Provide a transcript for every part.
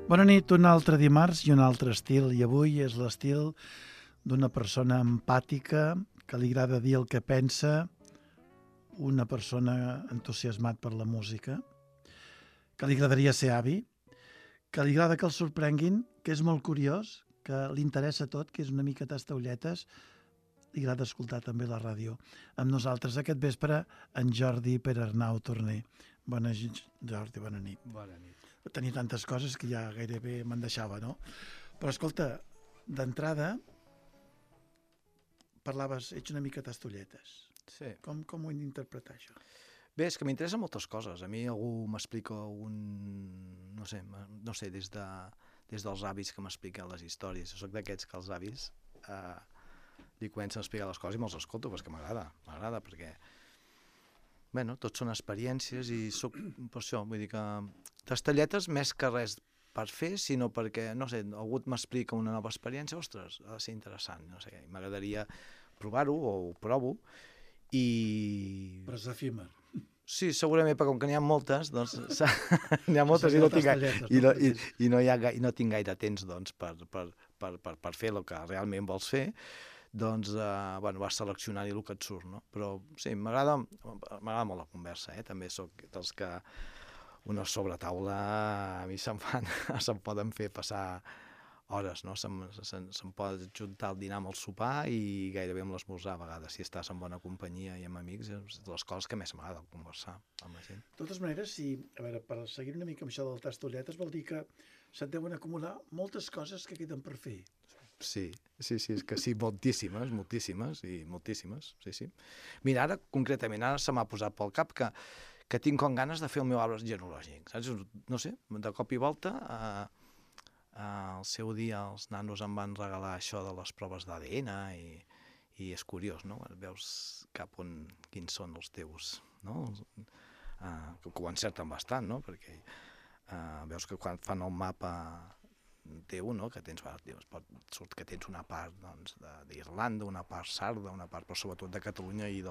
Bona nit, un altre dimarts i un altre estil, i avui és l'estil d'una persona empàtica, que li agrada dir el que pensa, una persona entusiasmat per la música, que li agradaria ser avi, que li agrada que el sorprenguin, que és molt curiós, que li interessa tot, que és una mica tastaulletes, li agrada escoltar també la ràdio. Amb nosaltres aquest vespre, en Jordi Perarnau Torner. Jordi, bona nit. Bona nit. Tenia tantes coses que ja gairebé me'n deixava, no? Però escolta, d'entrada parlaves, ets una mica tastolletes. Sí. Com ho hem d'interpretar, això? Bé, és que m'interessen moltes coses. A mi algú m'explica no sé, des dels avis que m'expliquen les històries. Jo soc d'aquests que els avis li comencen a explicar les coses i me'ls escolto, perquè m'agrada, perquè bueno, tot són experiències i soc per això, vull dir que tastelletes més que res per fer, sinó perquè, no sé, algú m'explica una nova experiència, ostres, ha de ser interessant, no sé, m'agradaria provar-ho o ho provo i... Però és efímer. Sí, segurament, perquè com que n'hi ha moltes, doncs n'hi ha moltes i no tinc gaire temps doncs, per fer el que realment vols fer, doncs vas seleccionant el que et surt, no? Però sí, m'agrada molt la conversa, també soc dels que una sobretaula a mi se'm poden fer passar hores, no? Se'm pot juntar el dinar amb el sopar i gairebé amb l'esmorzar a vegades, si estàs en bona companyia i amb amics, és de les coses que més m'agrada conversar amb la gent. De totes maneres, per seguir una mica amb això del tastolletes, vol dir que se't deuen acumular moltes coses que queden per fer. Sí, és que sí, moltíssimes, sí. Mira, concretament, ara se m'ha posat pel cap que tinc com ganes de fer el meu arbre genealògic, saps? No sé, de cop i volta, al seu dia els nanos em van regalar això de les proves d'ADN i és curiós, no? Veus quins són els teus, no? Que ho encerten bastant, no? Perquè veus que quan fan el mapa teu, no? Que surt que tens una part d'Irlanda, una part sarda, una part, però sobretot de Catalunya i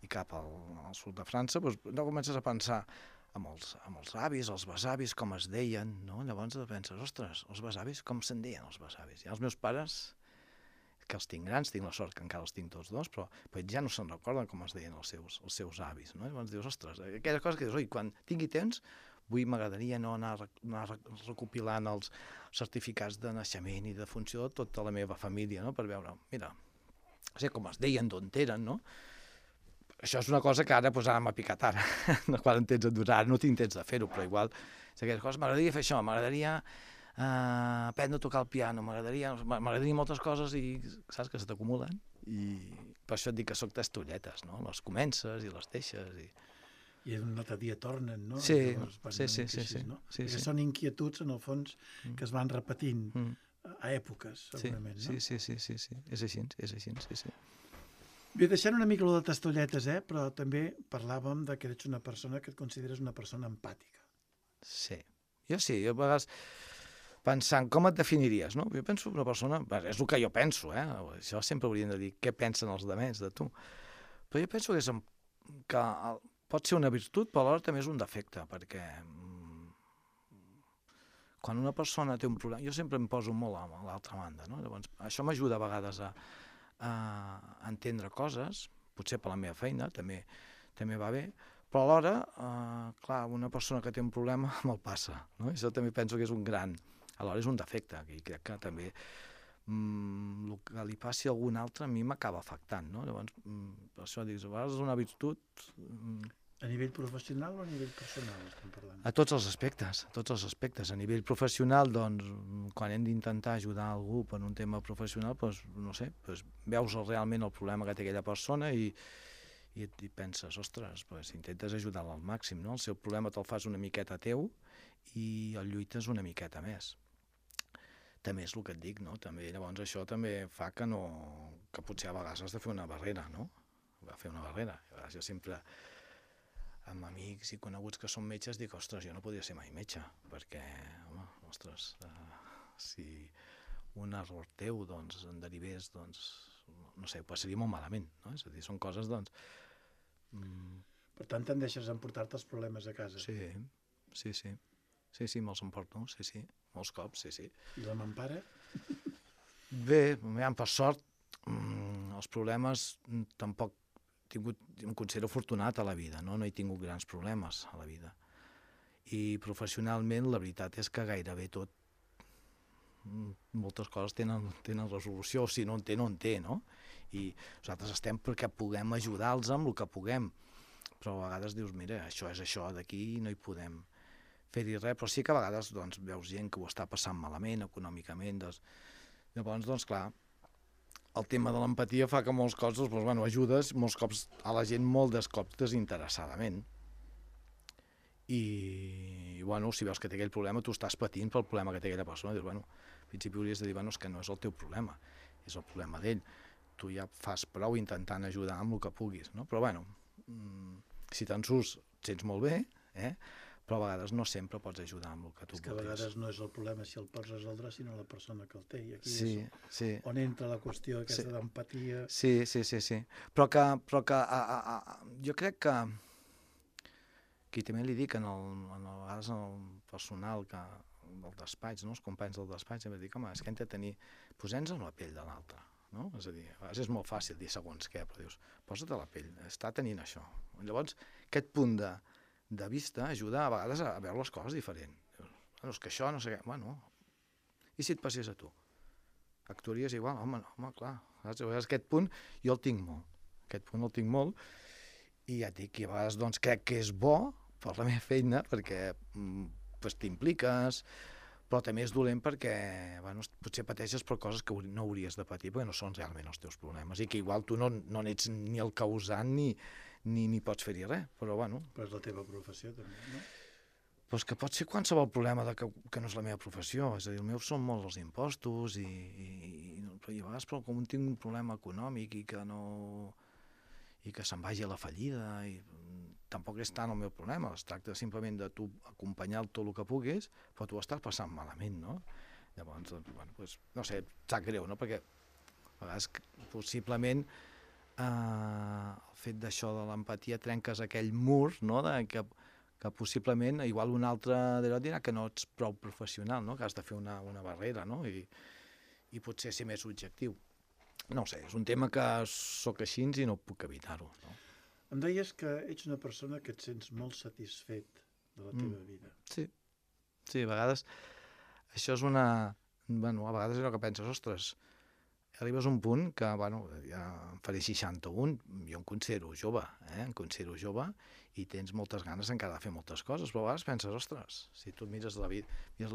cap al sud de França, doncs comences a pensar amb els avis, els besavis, com es deien, no? Llavors penses, ostres, els besavis, com se'n deien els besavis? I els meus pares, que els tinc grans, tinc la sort que encara els tinc tots dos, però ja no se'n recorden com es deien els seus avis, no? Llavors dius, ostres, aquella cosa que dius, oi, quan tingui temps m'agradaria no anar recopilant els certificats de naixement i de funció de tota la meva família, no? Per veure, mira, com es deien, d'on eren, no? Això és una cosa que ara m'ha picat ara, quan en tens endurant, ara no tinc temps de fer-ho, però igual, m'agradaria fer això, m'agradaria aprendre a tocar el piano, m'agradaria moltes coses i saps que se t'acumulen i per això et dic que soc tastolletes, no? Les comences i les deixes I un altre dia tornen, no? Sí. No? Perquè són inquietuds, en el fons, que es van repetint a èpoques, segurament, no? Sí, és així, sí. Bé, deixant una mica de tastolletes, però també parlàvem que ets una persona que et consideres una persona empàtica. Sí, jo a vegades pensant com et definiries, no? Jo penso una persona, és el que jo penso, això sempre hauríem de dir què pensen els altres de tu, però jo penso que pot ser una virtut, però alhora també és un defecte, perquè quan una persona té un problema, jo sempre em poso molt a l'altra banda, no? Llavors, això m'ajuda a vegades a entendre coses, potser per la meva feina, també va bé, però alhora, clar, una persona que té un problema me'l passa, no? Això també penso que és un gran, alhora és un defecte, i crec que també el que li passi a algun altre a mi m'acaba afectant, no? Llavors, per això dius, a vegades és una virtut... A nivell professional o a nivell personal estem parlant? A tots els aspectes. A nivell professional, doncs, quan hem d'intentar ajudar algú per un tema professional, doncs, no sé, veus realment el problema que té aquella persona i penses, ostres, intentes ajudar-la al màxim, no? El seu problema te'l fas una miqueta teu i el lluites una miqueta més. També és el que et dic, no? També, llavors això també fa que potser a vegades has de fer una barrera, no? Jo sempre, amb amics i coneguts que són metges, dic, ostres, jo no podria ser mai metge, perquè, home, ostres, si un error teu, doncs, en derivés, doncs, no sé, ho passaria molt malament, no? És a dir, són coses, doncs... Per tant, tendeixes a emportar-te els problemes a casa. Sí. sí, me'ls emporto, sí, molts cops, sí. I la mampara? Bé, per sort, els problemes tampoc em considero afortunat a la vida, no he tingut grans problemes a la vida. I professionalment la veritat és que gairebé tot, moltes coses tenen resolució, o si no en té, no en té, no? I nosaltres estem perquè puguem ajudar-los amb el que puguem, però a vegades dius, mira, això és això, d'aquí no hi podem fer-hi res, però sí que a vegades doncs, veus gent que ho està passant malament econòmicament, llavors, doncs clar, el tema de l'empatia fa que molts cops doncs, ajudes molts cops a la gent molts cops desinteressadament. I si veus que té aquell problema, tu estàs patint pel problema que té aquella persona, dius, al principi hauries de dir, és que no és el teu problema, és el problema d'ell. Tu ja fas prou intentant ajudar amb el que puguis, no? Però si te'n surts, et sents molt bé, però a vegades no sempre pots ajudar amb el que tu vulguis. És que a vegades no és el problema si el pots resoldre, sinó la persona que el té. I aquí és on entra la qüestió aquesta d'empatia. Sí. Però que jo crec que i també li dic a vegades al personal del despatx, els companys del despatx, em dic, home, és que hem de tenir, posem-nos en la pell de l'altre, no? És a dir, a vegades és molt fàcil dir segons què, però dius, posa't a la pell, està tenint això. Llavors, aquest punt de vista ajuda a vegades a veure les coses diferent. És que això no sé què, i si et passés a tu? Actuaries igual? Home, clar, aquest punt jo el tinc molt, i ja et dic, i a vegades doncs, crec que és bo per la meva feina, perquè t'impliques, però també és dolent perquè potser pateixes per coses que no hauries de patir perquè no són realment els teus problemes i que igual tu no n'ets ni el causant ni pots fer-hi res, però Però és la teva professió també, no? Però és que pot ser qualsevol problema que no és la meva professió, és a dir, el meu són molts els impostos i a vegades com tinc un problema econòmic i que se'n vagi a la fallida, i tampoc és tant el meu problema, es tracta simplement de tu acompanyar tot el que puguis, però tu estàs passant malament, no? Llavors, no sé, sap greu, no? Perquè a vegades possiblement el fet d'això de l'empatia trenques aquell mur, no? Que possiblement igual un altre dirà que no ets prou professional, no? Que has de fer una barrera, no? I potser ser més objectiu. No ho sé, és un tema que sóc així i no puc evitar-ho, no? Em deies que ets una persona que et sents molt satisfet de la teva vida. Sí, a vegades això és a vegades és allò que penses, ostres, arribes a un punt que, ja em faré 61, jo em considero jove, i tens moltes ganes encara de fer moltes coses, però a vegades penses, ostres, si tu mires la vida, dius,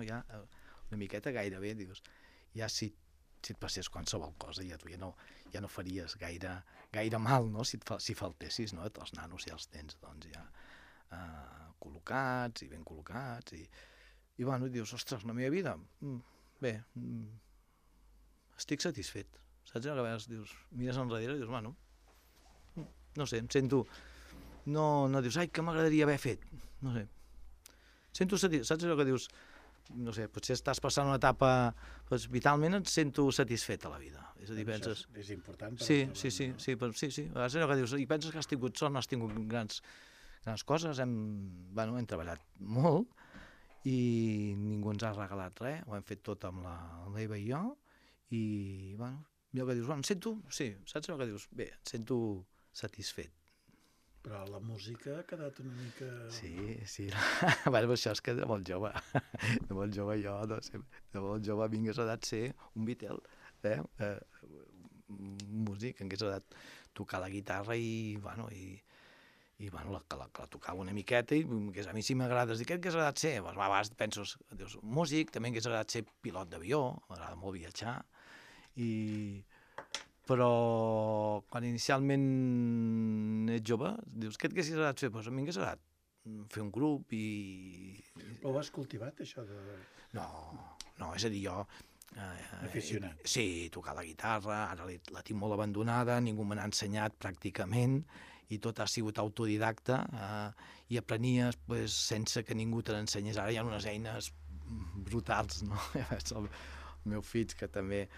ja una miqueta gairebé, dius, ja si et passés qualsevol cosa, ja tu ja no faries gaire mal, no? Si faltessis, no? Els nanos ja els tens, doncs, ja col·locats i ben col·locats, i dius, ostres, la meva vida, bé, estic satisfet, saps? A vegades dius, mires enrere i dius, no sé, em sento, no dius, ai, que m'agradaria haver fet, no sé, sento satisfet, saps allò que dius, no sé, potser estàs passant una etapa, doncs vitalment et sento satisfet a la vida. És a dir, penses... És important. Sí, a vegades allò que dius, i penses que has tingut sort, no has tingut grans coses, hem treballat molt i ningú ens ha regalat res, ho hem fet tot amb l'Eva i jo, i allò que dius, em sento, sí, saps allò que dius, bé, em sento satisfet. Però la música ha quedat una mica... Sí. Això és que de molt jove jo, no sé, de molt jove m'hagués agradat ser un Beatle, músic, m'hagués agradat tocar la guitarra i la tocava una miqueta i a mi si m'agrades dir què t'hagués agradat ser? A vegades penses, dius, músic, també m'hagués agradat ser pilot d'avió, m'agrada molt viatjar, però quan inicialment ets jove, dius, què t'haguessis agradat fer? Doncs a mi m'hagués agradat fer un grup i... Però ho has cultivat, això de... No, és a dir, jo... Aficionat. Sí, tocar la guitarra, ara la tinc molt abandonada, ningú me n'ha ensenyat pràcticament, i tot ha sigut autodidacta, i aprenies sense que ningú te n'ensenyés. Ara hi ha unes eines brutals, no? El meu fill, que també...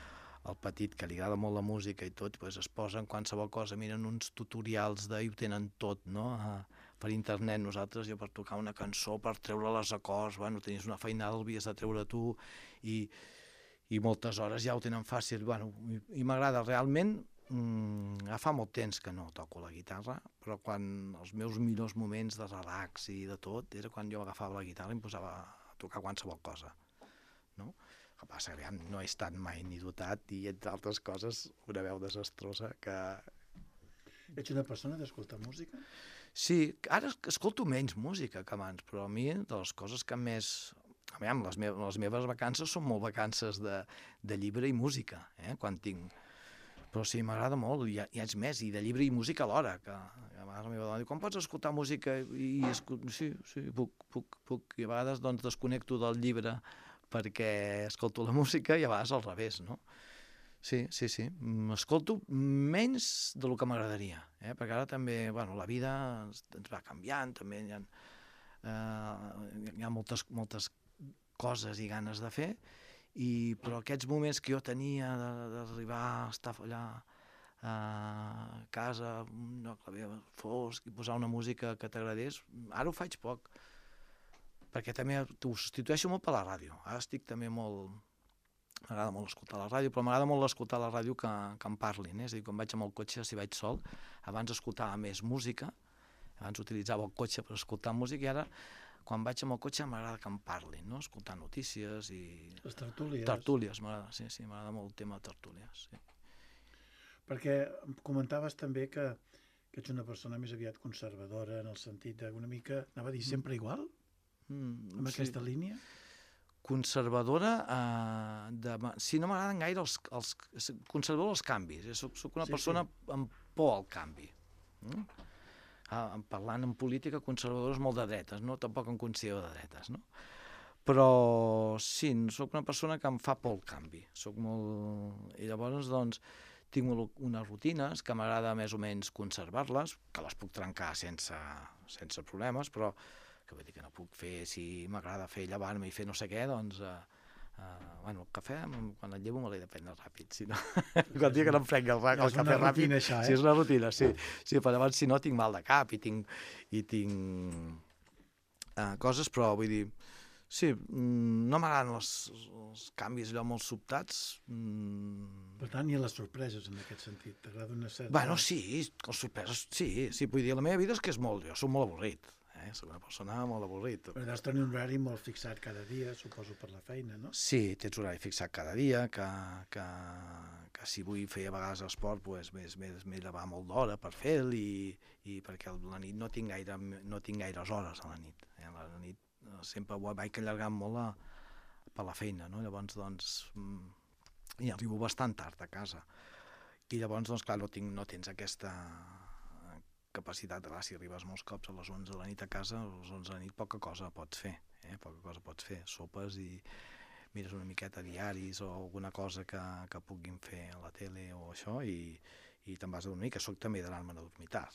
el petit, que li agrada molt la música i tot, es posa en qualsevol cosa, miren uns tutorials i ho tenen tot, no? per internet nosaltres, jo per tocar una cançó, per treure les acords, bueno, tenies una feinada, l'havies de treure tu, i moltes hores ja ho tenen fàcil, bueno, i m'agrada realment. Fa molt temps que no toco la guitarra, però quan els meus millors moments de relax i de tot era quan jo agafava la guitarra i em posava a tocar qualsevol cosa, no? El que passa que no he estat mai ni dotat i, entre altres coses, una veu desastrosa que... Ets una persona d'escoltar música? Sí, ara escolto menys música que abans, però a mi de les coses que més... Aviam, les meves vacances són molt vacances de llibre i música, quan tinc... Però sí, m'agrada molt, i és més, i de llibre i música alhora, que a vegades la meva dona diu, com pots escoltar música? Sí, puc, i a vegades doncs desconnecto del llibre perquè escolto la música i a vegades al revés, no? Sí, m'escolto menys del que m'agradaria, perquè ara també, bueno, la vida ens va canviant, també hi ha moltes coses i ganes de fer, però aquests moments que jo tenia d'arribar a estar allà a casa, un lloc fosc, i posar una música que t'agradés, ara ho faig poc, perquè també ho substitueixo molt per la ràdio. Ara estic també molt... M'agrada molt escoltar la ràdio, però m'agrada molt escoltar la ràdio que em parlin, és a dir, quan vaig amb el cotxe, si vaig sol, abans escoltava més música, abans utilitzava el cotxe per escoltar música, i ara quan vaig amb el cotxe m'agrada que em parlin, no? Escoltar notícies i... Les tertúlies. Tertúlies, m'agrada, sí, m'agrada molt el tema de tertúlies, sí. Perquè em comentaves també que ets una persona més aviat conservadora, en el sentit d'una mica, anava a dir, sempre igual? Amb aquesta línia? Conservadora, sí, no m'agraden gaire conservador els canvis, soc una persona amb por al canvi. Parlant en política, conservadors molt de dretes, no? Tampoc em considero de dretes, no? Però sí, soc una persona que em fa por el canvi, i llavors doncs tinc unes rutines que m'agrada més o menys conservar-les, que les puc trencar sense problemes, però que vull dir que no puc fer, si m'agrada fer llevar-me i fer no sé què, doncs bueno, el cafè, quan el llevo me l'he de prendre ràpid, si no, quan dic que no em prenc el cafè ràpid, això, sí, és una rutina, sí, però llavors si no tinc mal de cap i tinc coses, però vull dir, sí, no m'agraden els canvis allò molt sobtats. Per tant, i les sorpreses en aquest sentit, t'agrada una certa... Bueno, sí, les sorpreses, sí, vull dir, la meva vida és que és molt, jo soc molt avorrit. Soc una persona molt avorrit. Però deus tenir un horari molt fixat cada dia, suposo, per la feina, no? Sí, tens horari fixat cada dia, que si vull fer a vegades esport, doncs m'he de va molt d'hora per fer-lo, i perquè a la nit no tinc gaires hores a la nit. A la nit sempre vaig allargant molt per la feina, no? Llavors, doncs, i arribo bastant tard a casa. I llavors, doncs, clar, no tens aquesta capacitat, si arribes molts cops a les 11 de la nit a casa, a les 11 de la nit poca cosa pots fer, sopes i mires una miqueta diaris o alguna cosa que puguin fer a la tele o això, i te'n vas a dormir, que soc també d'anar-me'n a dormir tard,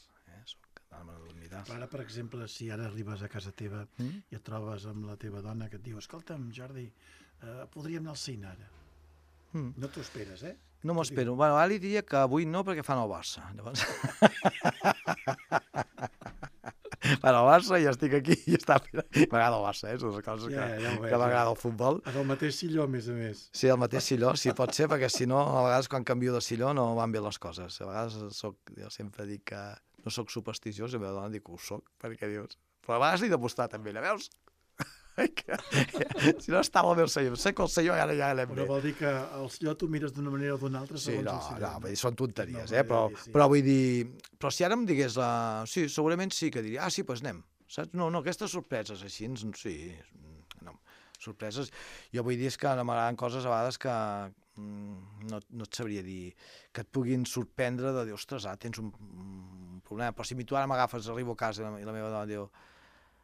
Ara, per exemple, si ara arribes a casa teva i et trobes amb la teva dona que et diu, escolta'm, Jordi, podríem anar al cine ara. No t'ho esperes, No m'ho espero. Bueno, ara li diria que avui no, perquè fan el Barça. Llavors... Fan el Barça i estic aquí i està... M'agrada el Barça, són les coses que m'agrada el futbol. En el mateix silló, a més a més. Sí, el mateix silló, sí, pot ser, perquè si no, a vegades quan canvio de silló no van bé les coses. A vegades jo sempre dic que no soc supersticiós, i la meva dona dic que ho soc, perquè dius... Però a vegades li he d'apostar també, la veus? Si no estava al meu senyor, sé que el senyor ara ja l'hem bé. Però vol dir que el senyor tu mires d'una manera o d'una altra segons el senyor. No, són tonteries, però vull dir... Però si ara em digués sí, segurament sí que diria, sí, doncs anem, saps? No, aquestes sorpreses així, sí, no, sorpreses. Jo vull dir que m'agraden coses a vegades que no et sabria dir, que et puguin sorprendre de dir, ostres, tens un problema, però si tu ara m'agafes, arribo a casa i la meva dona diu,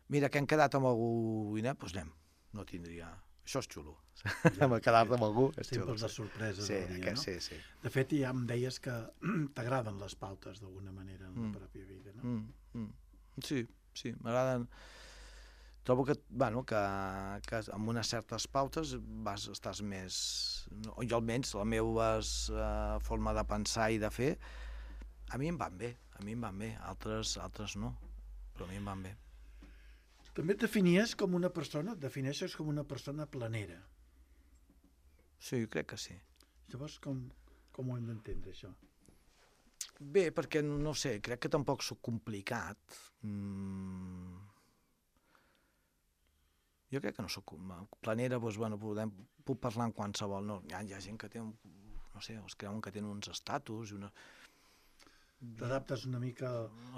mira, que hem quedat amb algú i anem, doncs anem. No tindria... Això és xulo. Quedar-te amb algú és xulo. Sempre les sorpreses del dia, no? Sí. De fet, ja em deies que t'agraden les pautes d'alguna manera en la pròpia vida, no? Sí, m'agraden. Trobo que amb unes certes pautes estàs més... Jo almenys, la meva forma de pensar i de fer, a mi em van bé, altres no. però a mi em van bé. També et definies com una persona, et defineixes com una persona planera. Sí, crec que sí. Llavors, com ho hem d'entendre, això? Bé, perquè, no sé, crec que tampoc soc complicat. Jo crec que no soc planera, doncs, bueno, puc parlar en qualsevol. No, hi ha gent que té, no sé, els creuen que tenen uns estatus i una... T'adaptes una mica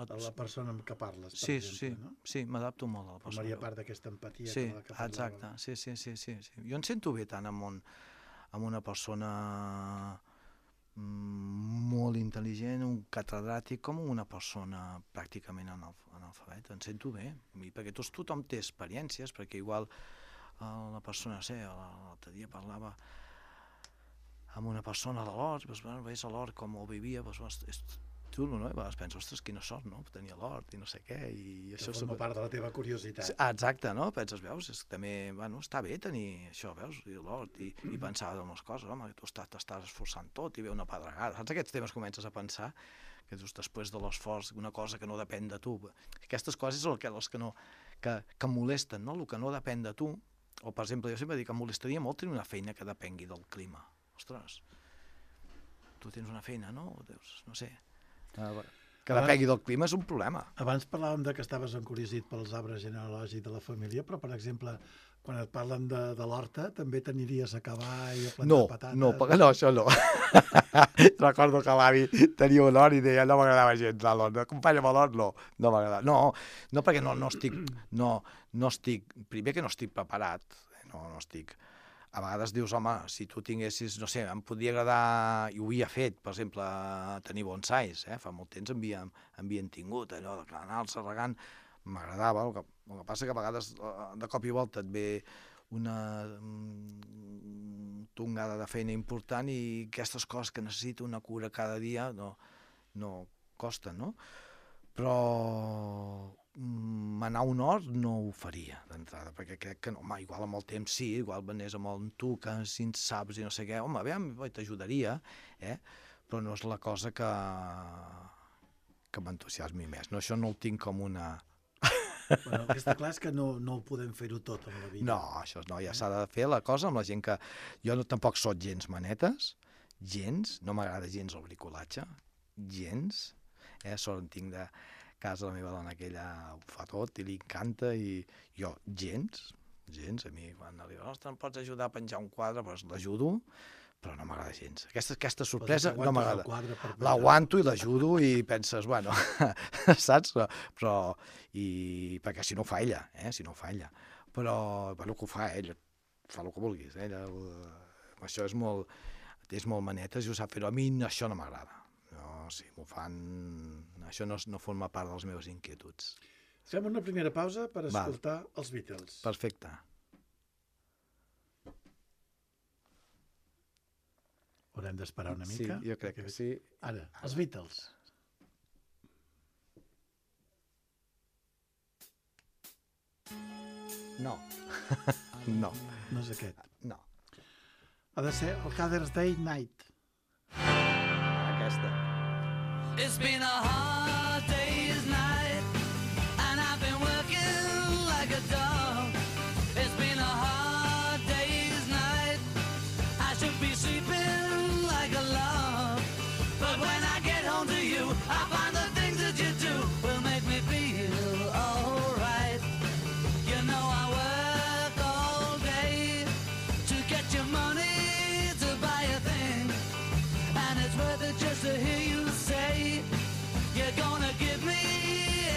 a la persona amb què parles, per exemple, no? Sí, m'adapto molt a la persona. Formaria part d'aquesta empatia sí, que parlava. exacte, sí. Jo em sento bé tant amb una persona molt intel·ligent, un catedràtic, com una persona pràcticament analfabeta. Em sento bé, perquè tothom té experiències, perquè igual la persona, no sé, l'altre dia parlava amb una persona de l'hort, veus a l'hort com ho vivia, és xulo, no? I a vegades penso, ostres, quina sort, no? Tenia l'hort i no sé què, i això... Forma part de la teva curiositat. Exacte, no? Penses, veus, també, bueno, està bé tenir això, veus, l'hort, i pensar en les coses, home, tu t'estàs esforçant tot i ve una pedregada. Saps aquests temes comences a pensar, que just després de l'esforç, una cosa que no depèn de tu. Aquestes coses són les que molesten, no? El que no depèn de tu, o per exemple, jo sempre dic que em molestaria molt tenir una feina que depengui del clima. Ostres, tu tens una feina, no? No sé... Que depengui del clima és un problema. Abans parlàvem que estaves encuriosit pels arbres genealògics de la família, però, per exemple, quan et parlen de l'horta, també t'aniries a cavar i a plantar patates? No, això no. Recordo que l'avi tenia un hort i deia no m'agradava gens l'hort. Acompanya'm a l'hort, no m'agradava. No, perquè no estic... Primer que no estic preparat, no estic... A vegades dius, home, si tu tinguessis, no sé, em podria agradar, i ho havia fet, per exemple, tenir bonsais, fa molt temps havien tingut, allò d'anar-se regant, m'agradava, el que passa que a vegades de cop i volta et ve una tongada de feina important i aquestes coses que necessita una cura cada dia no costen, no? Però anar a un hort no ho faria d'entrada, perquè crec que no, igual amb el temps sí, igual venés amb el tu que si en saps i no sé què, home, bé, t'ajudaria, però no és la cosa que m'entusiasmi més. No, això no ho tinc com una... Bueno, el que està clar és que no ho podem fer-ho tot amb la vida. No, això no, ja s'ha de fer la cosa amb la gent que... Jo tampoc soc gens manetes, gens, no m'agrada gens el bricolatge, gens, sort en tinc de casa la meva dona, que ella ho fa tot i li encanta, i jo gens, a mi quan li diu, ostres, em pots ajudar a penjar un quadre, doncs l'ajudo, però no m'agrada gens. Aquesta sorpresa no m'agrada. L'aguanto i l'ajudo i penses, bueno, saps? Però, perquè si no ho fa ella, però, bueno, que ho fa ella, fa el que vulguis, ella, això és molt manetes i ho sap fer, a mi això no m'agrada. Si m'ho fan... Això no forma part de les meves inquietuds. Fem una primera pausa per escoltar els Beatles. Perfecte. Haurem d'esperar una mica? Sí, jo crec que sí. Ara, els Beatles. No. No. No és aquest. No. Ha de ser el Father's Day Night. Aquesta. It's been a hard day's night, and I've been working like a dog. It's been a hard day's night, I should be sleeping like a log. But when I get home to you, I find the things that you do will make me feel alright. You know I work all day to get your money to buy a thing, and it's worth it just to hear you say you're gonna give me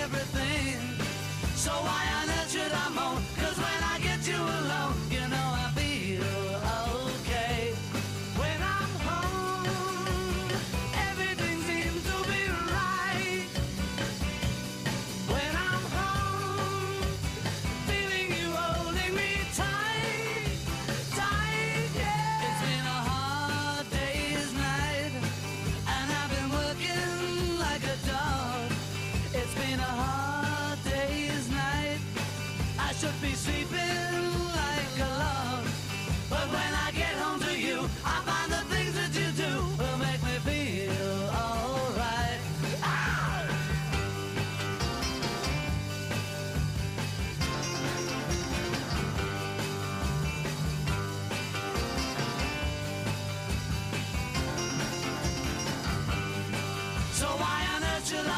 everything. So why on earth should I moan? 'Cause when I get you alone, you know I feel okay. When I'm home, everything seems to be right.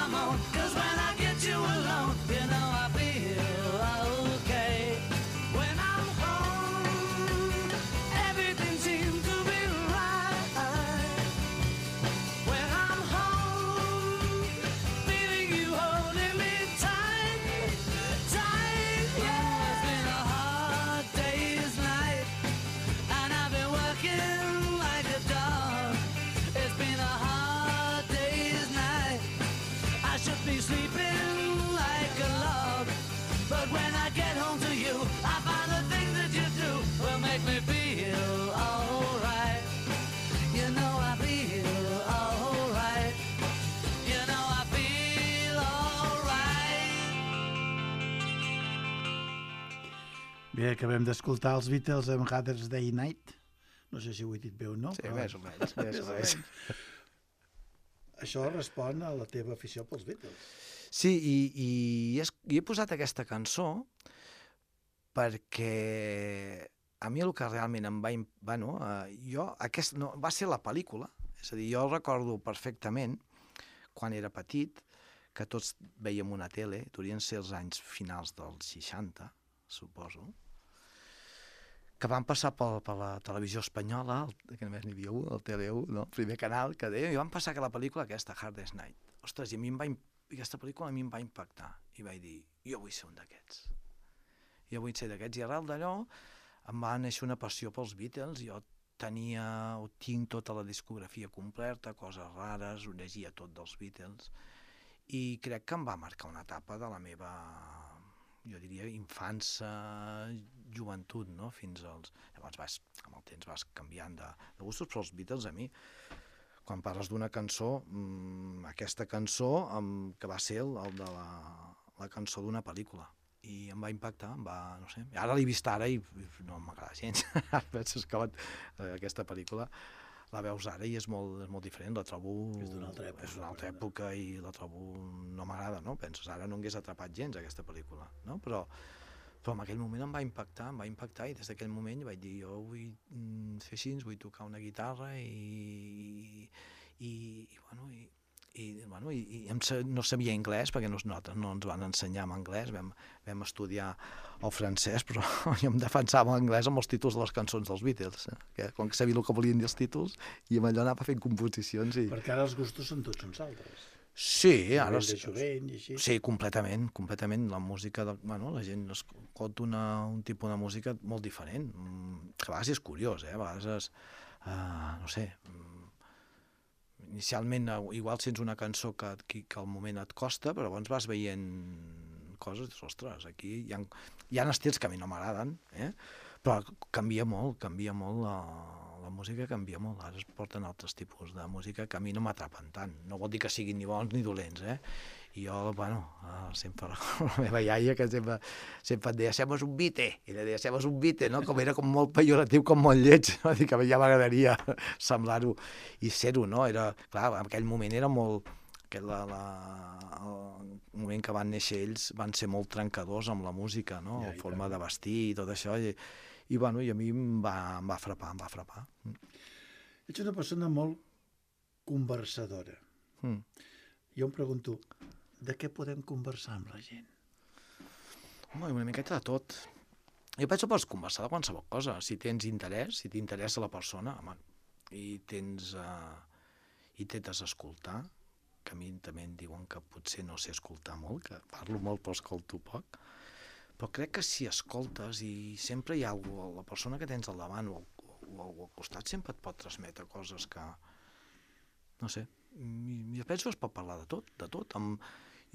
I'm on. 'Cause when I get you alone, you know I feel okay. When I'm home, everything seems to be right. When I'm home, feeling you holding me tight, tight, yeah. It's been a hard day's night, and I've been working like a dog. It's been a hard day's night. I should be sleeping like a log, but when I get home to you, I find the things that you do will make me feel alright. You know I feel alright. You know I feel alright. Bé, acabem d'escoltar els Beatles amb Mother's Day Night. No sé si ho he dit bé o no. Sí, però més o menys, més o menys. Això respon a la teva afició pels Beatles. Sí, i he posat aquesta cançó perquè a mi el que realment em va... Bueno, va ser la pel·lícula, és a dir, jo recordo perfectament, quan era petit, que tots veiem una tele, durien ser els anys finals dels 60, suposo, que van passar per la televisió espanyola, que només n'hi havia un, el Tele1, no? El primer canal, que deia, i van passar la pel·lícula aquesta, Hardest Night. Ostres, i aquesta pel·lícula a mi em va impactar, i vaig dir, jo vull ser un d'aquests. Jo vull ser d'aquests, i arrel d'allò em va néixer una passió pels Beatles, jo tinc tota la discografia completa, coses rares, ho llegia tot dels Beatles, i crec que em va marcar una etapa de la meva, jo diria, infància, joventut, no? Fins als... Llavors amb el temps vas canviant de gustos, però els Beatles a mi, quan parles d'una cançó, aquesta cançó que va ser el de la cançó d'una pel·lícula, i em va impactar, no sé, ara l'he vist ara i no m'agrada gens. Penses que aquesta pel·lícula la veus ara i és molt diferent, la trobo... És d'una altra època. És d'una altra època i la trobo... no m'agrada, no? Penses, ara no hagués atrapat gens aquesta pel·lícula, no? Però en aquell moment em va impactar, i des d'aquell moment vaig dir, jo vull fer així, vull tocar una guitarra i no sabia anglès, perquè nosaltres no ens van ensenyar en anglès, vam estudiar el francès, però jo em defensava l'anglès amb els títols de les cançons dels Beatles, que com que sabia el que volien dir els títols, i amb allò anava fent composicions. Perquè ara els gustos són tots uns altres. Sí, ara... De jovent i així. Sí, completament. La música... La gent escolta un tipus de música molt diferent, que a vegades és curiós, a vegades no sé... Inicialment, igual sents una cançó que al moment et costa, però llavors vas veient coses, ostres, aquí hi ha estils que a mi no m'agraden, però canvia molt la música, canvia molt. Ara es porten altres tipus de música que a mi no m'atrapen tant. No vol dir que siguin ni bons ni dolents, I jo, sempre la meva iaia, que sempre et deia, sembles un bite, i li deia, sembles un bite, no? Com era com molt pejoratiu, com molt lleig, no? Dic que ja m'agradaria semblar-ho i ser-ho, no? Era, clar, en aquell moment era molt... El moment que van néixer ells van ser molt trencadors amb la música, no? La forma de vestir i tot això, i a mi em va frapar. Ets una persona molt conversadora. Jo em pregunto, de què podem conversar amb la gent? Home, una miqueta de tot. Jo penso que pots conversar de qualsevol cosa. Si tens interès, si t'interessa la persona, home, i intentes escoltar, que a mi també em diuen que potser no sé escoltar molt, que parlo molt però escolto poc, però crec que si escoltes i sempre hi ha algú, la persona que tens al davant o al costat sempre et pot transmetre coses que, no sé, jo penso que es pot parlar de tot.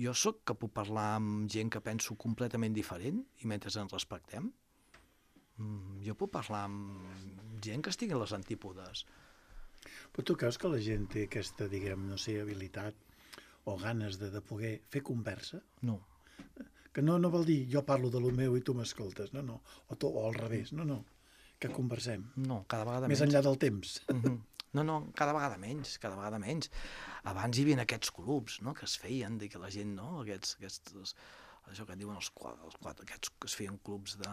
Jo soc que puc parlar amb gent que penso completament diferent i mentre ens respectem. Jo puc parlar amb gent que estigui a les antípodes. Però tu creus que la gent té aquesta, diguem, no sé, habilitat o ganes de poder fer conversa? No. Que no vol dir jo parlo de lo meu i tu m'escoltes, no. O al revés, no. Que conversem. No, cada vegada menys. Més enllà del temps. No, cada vegada menys. Abans hi havia aquests clubs, no?, que es feien, que la gent, no?, això que diuen els quatre, aquests que es feien clubs de...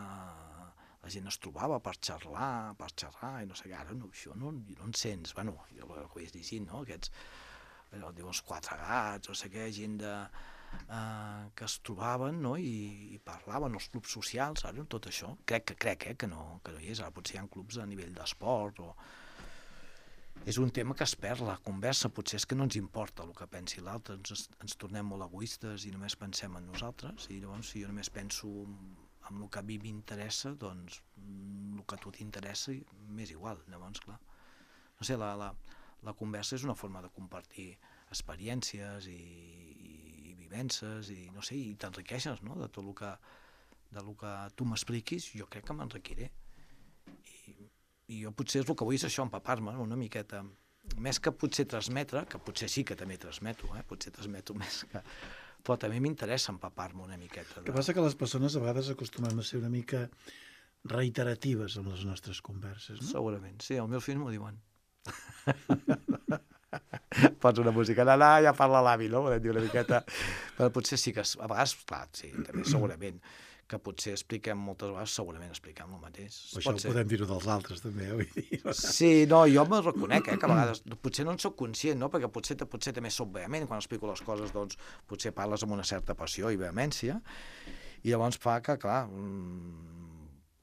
La gent es trobava per xerrar, i no sé què, ara no, això no en sents, jo ho vaig llegint, no?, aquests allò, diu, els quatre gats, no sé què, gent que es trobaven, no?, i parlaven, els clubs socials, ara, tot això. Crec que no hi és. Ara potser hi ha clubs a nivell d'esport o... És un tema que es perd, la conversa, potser és que no ens importa el que pensi l'altre, ens tornem molt egoistes i només pensem en nosaltres, i llavors si jo només penso en el que a mi m'interessa, doncs el que a tu t'interessa m'és igual, llavors, clar. No sé, la conversa és una forma de compartir experiències i vivències, i no sé, i t'enriqueixes, no?, de tot el que tu m'expliquis, jo crec que m'enriquiré. I jo potser és el que vull és això, empapar-me una miqueta, més que potser transmetre, que potser sí que també transmeto, potser transmeto més que... Però també m'interessa empapar-me una miqueta. El que passa que les persones a vegades acostumem a ser una mica reiteratives amb les nostres converses, no? Segurament, sí, els meus fills m'ho diuen. Pots una música, ja parla l'avi, no? Volem dir una miqueta... Però potser sí que, a vegades, clar, sí, també segurament, que potser expliquem moltes vegades, segurament expliquem el mateix. Això ho podem dir-ho dels altres, també, vull dir. Sí, no, jo me'l reconec, que a vegades potser no en soc conscient, no?, perquè potser també soc vehement, quan explico les coses, doncs, potser parles amb una certa passió i vehemència, i llavors fa que, clar,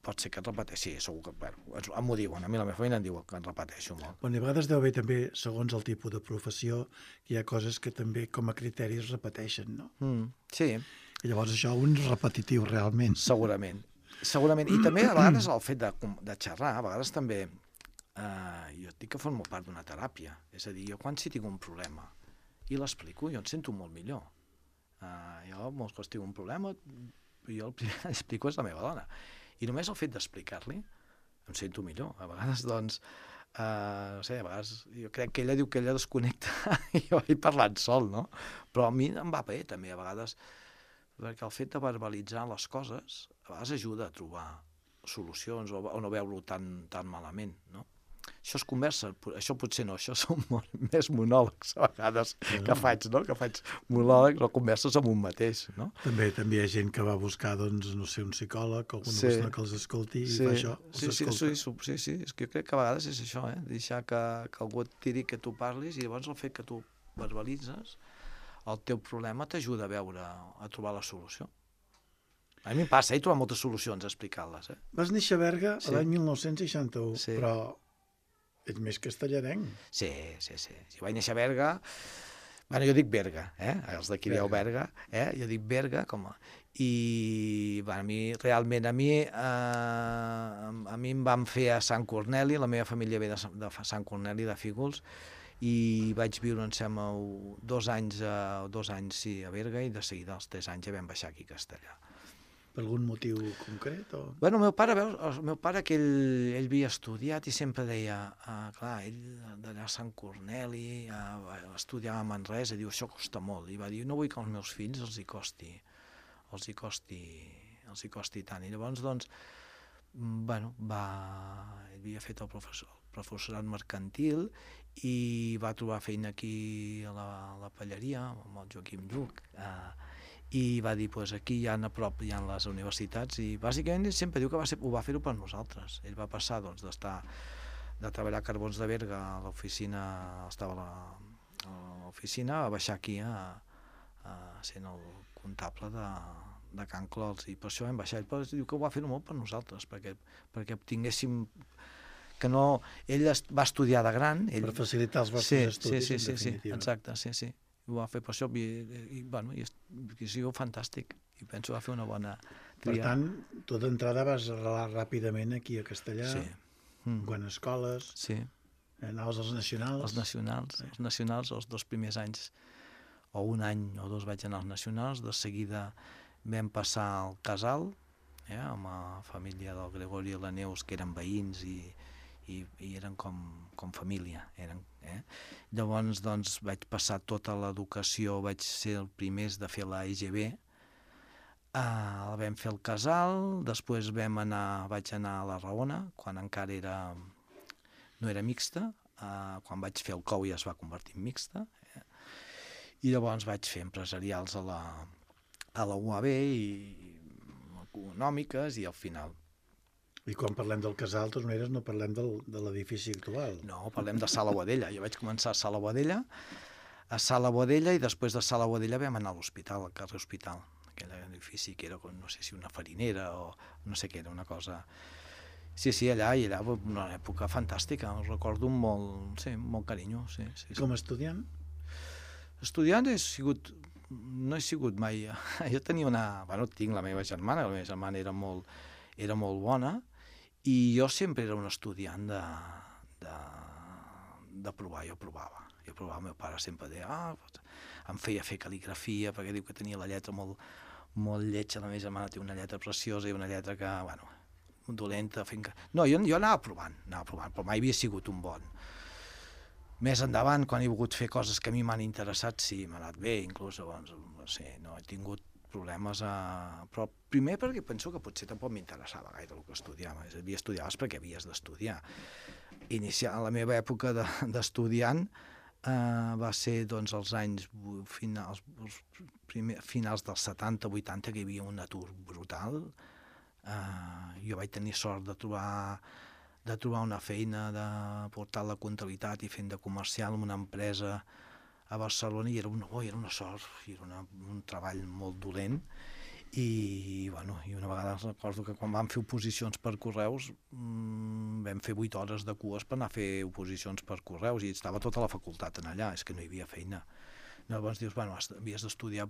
pot ser que et repeteixi, segur que, bueno, m'ho diuen, a mi la meva família em diu que en repeteixo molt. Bueno, i a vegades deu haver també, segons el tipus de professió, hi ha coses que també com a criteris es repeteixen, no? Sí. I llavors això un és repetitiu, realment. Segurament. I també a vegades el fet de xerrar, a vegades també, jo et dic que formo part d'una teràpia, és a dir, jo quan si tinc un problema i l'explico, jo em sento molt millor. Jo molts cops tinc un problema, jo el primer que explico és la meva dona. I només el fet d'explicar-li em sento millor. A vegades, doncs, no sé, a vegades jo crec que ella diu que ella desconnecta i jo vaig parlant sol, no? Però a mi em va bé també, a vegades, perquè el fet de verbalitzar les coses a vegades ajuda a trobar solucions o no veure-ho tan malament, no? Això es conversa, això potser no, això són més monòlegs a vegades que faig, no? Que faig monòlegs o converses amb un mateix, no? També hi ha gent que va buscar, doncs, no sé, un psicòleg o alguna persona que els escolti i fa això, els escolta. Sí, és que jo crec que a vegades és això, deixar que algú et tiri, que tu parlis, i llavors el fet que tu verbalitzes el teu problema t'ajuda a trobar la solució. A mi em passa, he trobat moltes solucions explicant-les. Vas néixer a Berga l'any 1961, sí. Però ets més castellarenc. Sí. Jo vaig néixer a Berga, bueno, jo dic Berga, els d'aquí dieu Berga, jo dic Berga, i realment a mi em van fer a Sant Corneli, la meva família ve de Sant Corneli, de Fígols, i vaig viure, em sembla, 2 anys a Berga, i de seguida, als 3 anys, ja vam baixar aquí a Castellà. Per algun motiu concret? Bueno, el meu pare, que ell havia estudiat i sempre deia, clar, ell d'allà a Sant Corneli, estudiava a Manresa, diu, això costa molt, i va dir, no vull que als meus fills els hi costi tant. I llavors, doncs, bueno, ell havia fet el professorat mercantil i va trobar feina aquí a la Palleria, amb el Joaquim Lluc, i va dir, doncs aquí a prop hi ha les universitats, i bàsicament ell sempre diu que ho va fer-ho per nosaltres. Ell va passar, doncs, de treballar a Carbons de Berga a l'oficina, estava a l'oficina, a baixar aquí sent el comptable de Can Clols, i per això vam baixar. Ell diu que ho va fer-ho molt per nosaltres, perquè obtinguéssim que no... Ell va estudiar de gran. Per facilitar els vostres estudis, en definitiva. Sí, exacte, sí. Ho va fer per això, i ha sigut fantàstic, i penso que va fer una bona tria. Per tant, tu d'entrada vas arrelar ràpidament aquí a Castellà, quan escoles, anaves als nacionals. Els nacionals, els 2 primers anys, o 1 any o 2 vaig anar als nacionals, de seguida vam passar al Casal, amb la família del Gregori i la Neus, que eren veïns i eren com família. Llavors, doncs, vaig passar tota l'educació, vaig ser el primer de fer la EGB, vam fer el Casal, després vaig anar a la Raona, quan encara no era mixta, quan vaig fer el COU ja es va convertir en mixta, i llavors vaig fer empresarials a la UAB i econòmiques, i al final... I quan parlem del Casal, de totes maneres, no parlem de l'edifici actual. No, parlem de Sala Boadella. Jo vaig començar a Sala Boadella, a Sala Boadella, i després de Sala Boadella vam anar a l'hospital, al carrer Hospital, aquell edifici que era, no sé si una farinera o no sé què, era una cosa... Sí, allà, una època fantàstica, ho recordo amb molt carinyo. Sí. Com a estudiant? Estudiant no he sigut mai... Jo tenia tinc la meva germana era molt bona, i jo sempre era un estudiant de provar, jo provava. El meu pare sempre deia, em feia fer cal·ligrafia, perquè diu que tenia la lletra molt lletja, la meva germana té una lletra preciosa i una lletra que, dolenta, No, jo anava provant, però mai havia sigut un bon. Més endavant, quan he volgut fer coses que a mi m'han interessat, sí, m'ha anat bé, inclús, no he tingut problemes, però primer perquè penso que potser tampoc m'interessava gaire el que estudiava, estudiaves perquè havies d'estudiar. Iniciar la meva època d'estudiant va ser els anys finals dels 70-80, que hi havia un atur brutal. Jo vaig tenir sort de trobar una feina de portar la comptabilitat i fent de comercial en una empresa a Barcelona, i era una sort, i era un treball molt dolent, i una vegada recordo que quan vam fer oposicions per correus vam fer 8 hores de cues per anar a fer oposicions per correus, i estava tota la facultat en allà, és que no hi havia feina. Llavors dius, havies d'estudiar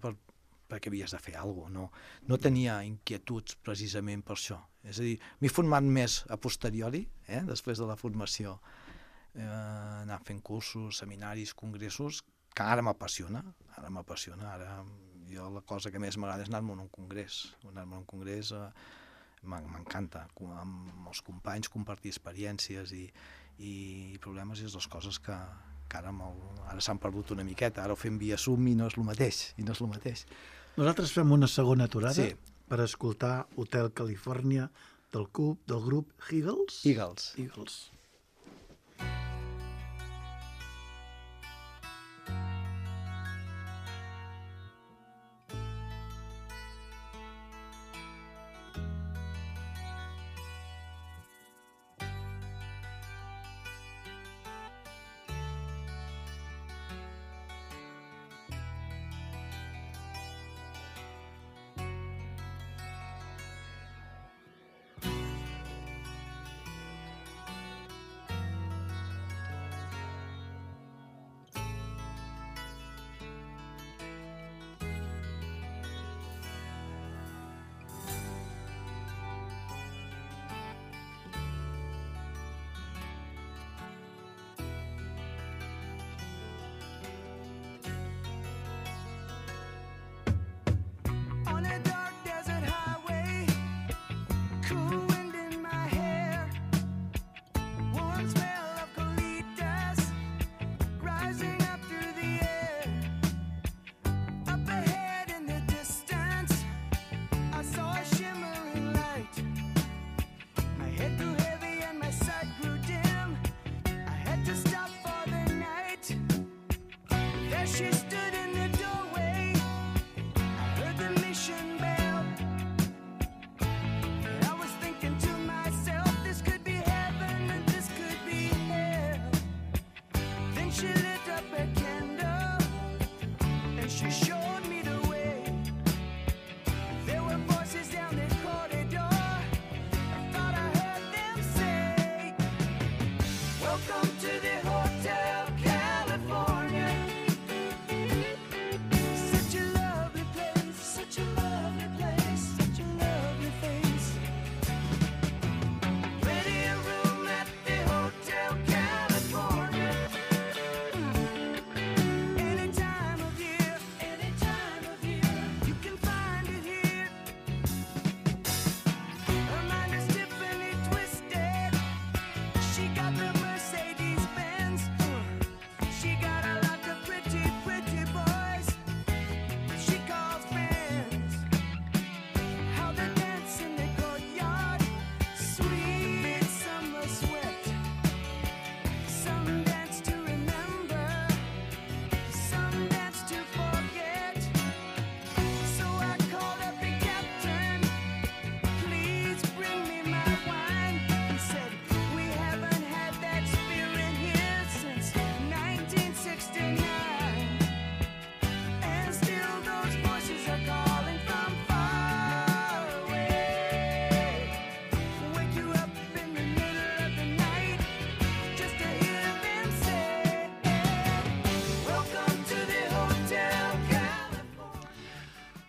perquè havies de fer alguna cosa, no tenia inquietuds precisament per això. És a dir, m'he format més a posteriori, després de la formació, anar fent cursos, seminaris, congressos, que ara m'apassiona. Ara jo la cosa que més m'agrada és anar-me'n a un congrés. M'encanta, amb els companys, compartir experiències i problemes, és les coses que ara s'han perdut una miqueta. Ara ho fem via Zoom i no és el mateix. Nosaltres fem una segona aturada Sí. per escoltar Hotel Califòrnia del grup Eagles. Eagles. On a dark desert highway, cool wind in my hair, warm smell of colitas rising up through the air. Up ahead in the distance, I saw a shimmering light. My head grew heavy and my sight grew dim. I had to stop for the night. There she stood in the doorway. Heard the mission bell, and I was thinking to myself, this could be heaven and this could be hell. Then she lit up a candle, and she showed me the way. There were voices down the corridor, I thought I heard them say, welcome to the Hotel California. Such a lovely place, such a lovely place, such a lovely face. Plenty of room at the Hotel California. Any time of year, any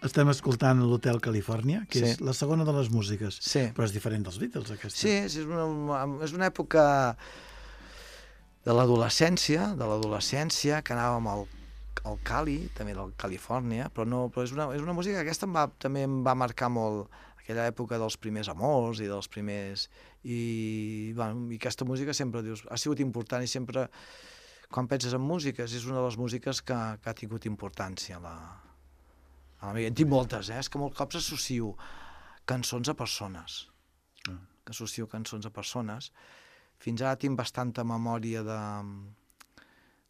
Estem escoltant l'Hotel Califòrnia, que Sí. és la segona de les músiques, Sí. però és diferent dels Beatles, aquesta. Sí, és una època de l'adolescència, que anàvem al Cali, també del Califòrnia, però és una música que aquesta també em va marcar molt aquella època dels primers amors i dels primers... I aquesta música sempre dius, ha sigut important i sempre, quan penses en músiques, és una de les músiques que ha tingut importància a la meva. En tinc moltes, és que molts cops associo cançons a persones. Associo cançons a persones. Fins ara tinc bastanta memòria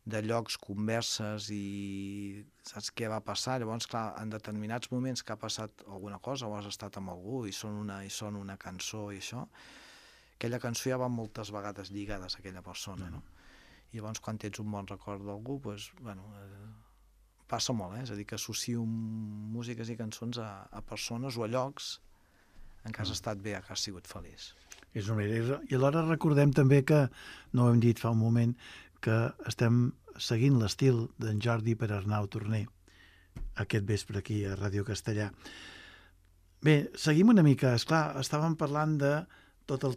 de llocs, converses i saps què va passar. Llavors, clar, en determinats moments que ha passat alguna cosa o has estat amb algú i sona una cançó i això, aquella cançó ja va moltes vegades lligades a aquella persona, no? I llavors, quan tens un bon record d'algú, doncs, passa molt, és a dir, que associo músiques i cançons a persones o a llocs en què has estat bé, que has sigut feliç. És una manera. I alhora recordem també que, no ho hem dit fa un moment, que estem seguint l'estil d'en Jordi per Arnau Torner aquest vespre aquí a Ràdio Castellà. Bé, seguim una mica. Esclar, estàvem parlant de tota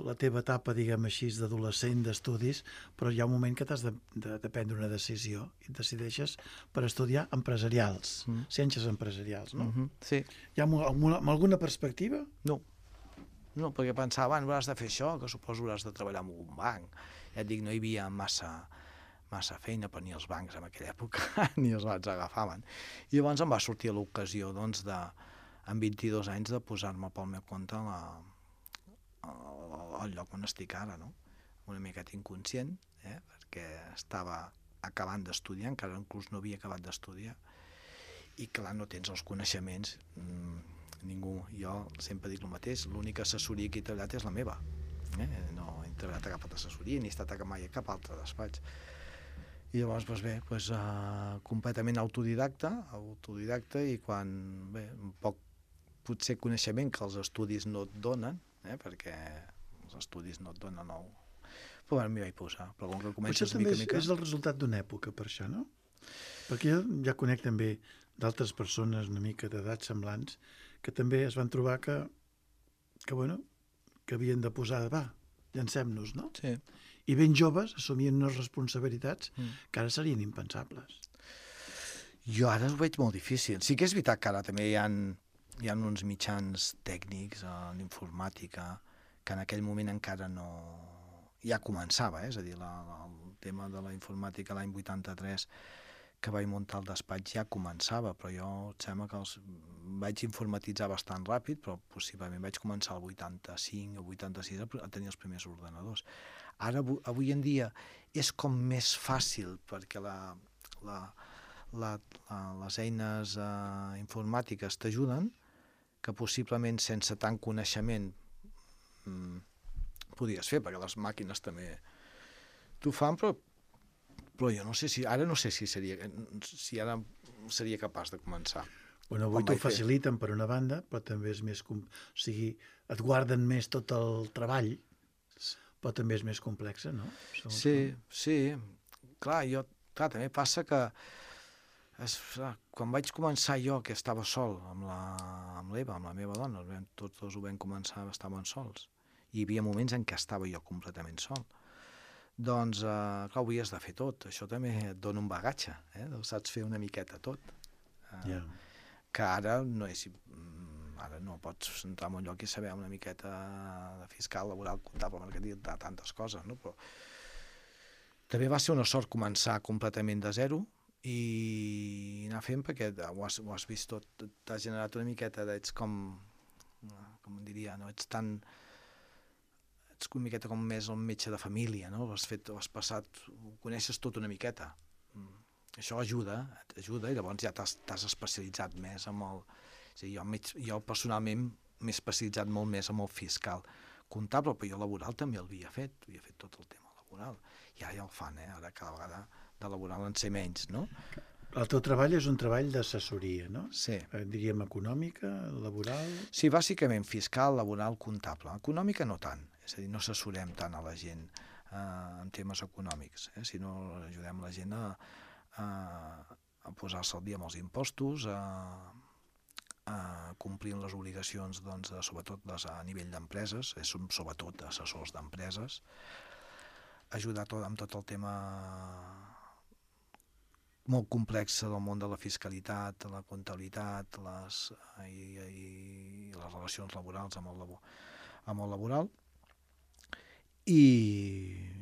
la teva etapa, diguem així, d'adolescent, d'estudis, però hi ha un moment que t'has de prendre una decisió i et decideixes per estudiar empresarials, ciències empresarials, no? Sí. Hi ha alguna perspectiva? No, perquè pensava, hauràs de fer això, que suposo hauràs de treballar en un banc. Ja et dic, no hi havia massa feina, però ni els bancs en aquella època ni els bancs agafaven. I llavors em va sortir l'ocasió, doncs, amb 22 anys, de posar-me pel meu compte al lloc on estic ara, no? Una miqueta inconscient, perquè estava acabant d'estudiar, encara inclús no havia acabat d'estudiar, i clar, no tens els coneixements, ningú. Jo sempre dic el mateix, l'única assessoria que he treballat és la meva. No he treballat a cap altra assessoria, ni he estat mai a cap altre despatx. I llavors, completament autodidacta, i quan, un poc potser coneixement que els estudis no et donen, perquè els estudis no et donen però m'hi vaig posar. Però com que comences mica... Potser també és el resultat d'una època, per això, no? Perquè jo ja conec també d'altres persones una mica d'edats semblants que també es van trobar que havien de posar, llancem-nos, no? Sí. I ben joves assumien unes responsabilitats que ara serien impensables. Jo ara ho veig molt difícil. Sí que és veritat que ara també hi ha uns mitjans tècnics en informàtica que en aquell moment encara no... ja començava, és a dir, el tema de la informàtica l'any 83 que vaig muntar el despatx ja començava, però jo em sembla que els vaig informatitzar bastant ràpid, però possiblement vaig començar el 85 o 86 a tenir els primers ordenadors. Ara, avui en dia, és com més fàcil, perquè les eines informàtiques t'ajuden, que possiblement sense tant coneixement podies fer, perquè les màquines també t'ho fan, però jo no sé si ara seria capaç de començar. Bueno, avui t'ho faciliten per una banda, però també és més... O sigui, et guarden més tot el treball, però també és més complex, no? Sí. Clar, també passa que quan vaig començar jo, que estava sol amb l'Eva, amb la meva dona, tots dos ho vam començar, estàvem sols. Hi havia moments en què estava jo completament sol. Doncs, clar, ho havies de fer tot. Això també et dona un bagatge, saps fer una miqueta tot. Que ara no pots entrar en un lloc i saber una miqueta de fiscal, laboral, comptable, mercantil, de tantes coses, no? Però també va ser una sort començar completament de zero i anar fent, perquè ho has vist tot, t'has generat una miqueta, ets com diria, no? Ets una miqueta com més el metge de família, no? Has passat, ho coneixes tot una miqueta. Això ajuda, i llavors ja t'has especialitzat més amb el... És a dir, jo personalment m'he especialitzat molt més amb el fiscal comptable, però jo laboral també havia fet tot el tema laboral. I ara ja el fan, ara cada vegada de laboral en sé menys, no? El teu treball és un treball d'assessoria, no? Sí. Diríem econòmica, laboral... Sí, bàsicament fiscal, laboral, comptable. Econòmica no tant, és a dir, no assessorem tant a la gent en temes econòmics, sinó ajudem la gent a posar-se al dia amb els impostos, complint les obligacions, doncs, sobretot a nivell d'empreses, som sobretot assessors d'empreses, ajudar amb tot el tema molt complex del món de la fiscalitat, la comptabilitat i les relacions laborals amb el laboral. I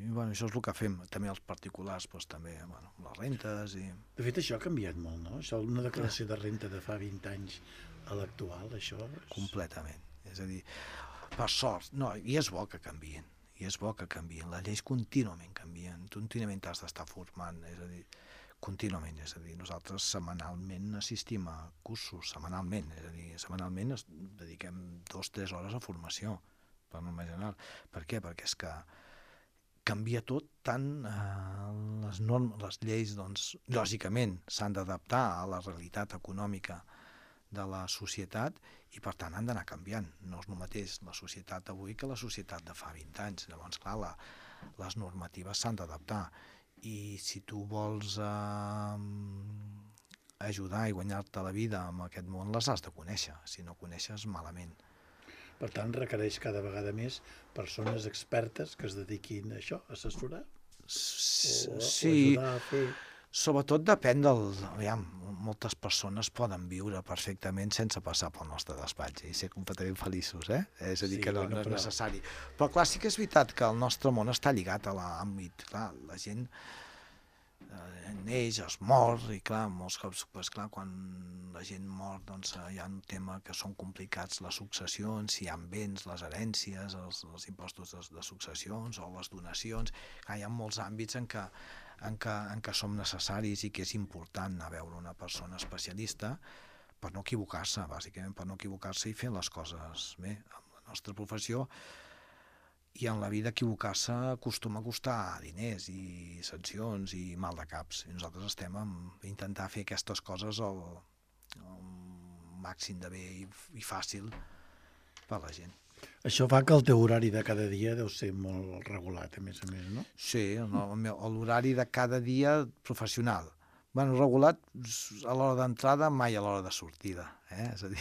bueno, això és el que fem. També els particulars, doncs, també les rentes. De fet, això ha canviat molt, no? Això, una declaració de renta de fa 20 anys a l'actual, això... Completament. És a dir, per sort, no, i és bo que canvien. Les lleis contínuament canvien, contínuament t'has d'estar formant, és a dir, contínuament, és a dir, nosaltres setmanalment assistim a cursos, setmanalment dediquem 2-3 hores a formació, per norma general. Per què? Perquè és que canvia tot, tant les lleis, doncs, lògicament, s'han d'adaptar a la realitat econòmica de la societat i, per tant, han d'anar canviant. No és el mateix la societat avui que la societat de fa 20 anys. Llavors, clar, les normatives s'han d'adaptar. I si tu vols ajudar i guanyar-te la vida en aquest món, les has de conèixer. Si no coneixes, malament. Per tant, requereix cada vegada més persones expertes que es dediquin a això, a assessorar? Sí, o ajudar a fer... Sobretot depèn aviam, moltes persones poden viure perfectament sense passar pel nostre despatx i ser completament feliços, És a dir, que no és necessari. Però clar, sí que és veritat que el nostre món està lligat a l'àmbit, clar, la gent neix, es mor, i clar, molts cops, clar, quan la gent mor, doncs hi ha un tema que són complicats, les successions, si hi ha béns, les herències, els impostos de successions o les donacions. Clar, hi ha molts àmbits en què som necessaris i que és important anar a veure una persona especialista per no equivocar-se, bàsicament per no equivocar-se i fer les coses bé. En la nostra professió i en la vida equivocar-se acostuma a costar diners i sancions i mal de caps. I nosaltres estem a intentar fer aquestes coses el màxim de bé i fàcil per la gent. Això fa que el teu horari de cada dia deu ser molt regulat, a més, no? Sí, l'horari de cada dia professional. Bueno, regulat a l'hora d'entrada, mai a l'hora de sortida. És a dir,